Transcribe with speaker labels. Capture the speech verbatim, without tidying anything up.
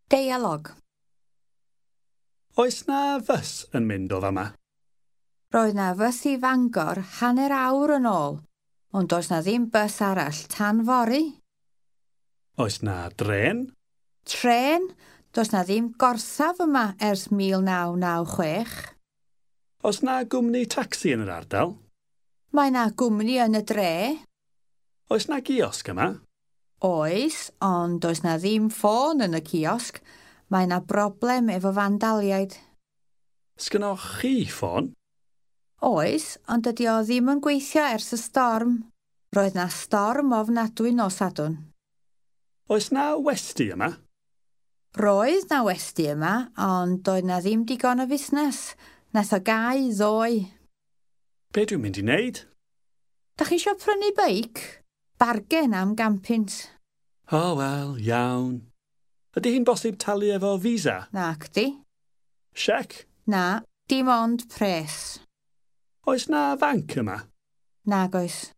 Speaker 1: Deialog.
Speaker 2: Oes 'na fws yn mynd o fama?
Speaker 1: Roedd 'na fws i Fangor hanner awr yn ôl, ond does 'na ddim bws arall tan fory.
Speaker 2: Oes 'na drên?
Speaker 1: Trên? Does 'na ddim gorsaf yma ers mil naw naw chwech.
Speaker 2: Oes 'na gwmni tacsi yn yr ardal?
Speaker 1: Mae 'na gwmni yn y dre.
Speaker 2: Oes 'na giosg yma?
Speaker 1: Oes, ond does 'na ddim ffôn yn y ciosg. Mae 'na broblem efo fandaliaid.
Speaker 2: Sgynnoch chi ffôn?
Speaker 1: Oes, ond dydy o ddim yn gweithio ers y storm. Roedd 'na storm ofnadwy nos Sadwrn.
Speaker 2: Oes 'na westy yma?
Speaker 1: Roedd 'na westy yma, ond doedd 'na ddim digon o fusnes. Nath o gau ddoe.
Speaker 2: Be dwi'n mynd i wneud?
Speaker 1: Da chi isio prynu beic? Bargen am gan punt.
Speaker 2: O, wel, iawn. Ydy hi'n bosib talu efo Visa?
Speaker 1: Nacdi.
Speaker 2: Siec?
Speaker 1: Na, dim ond pres.
Speaker 2: Oes 'na fanc yma?
Speaker 1: Nag oes.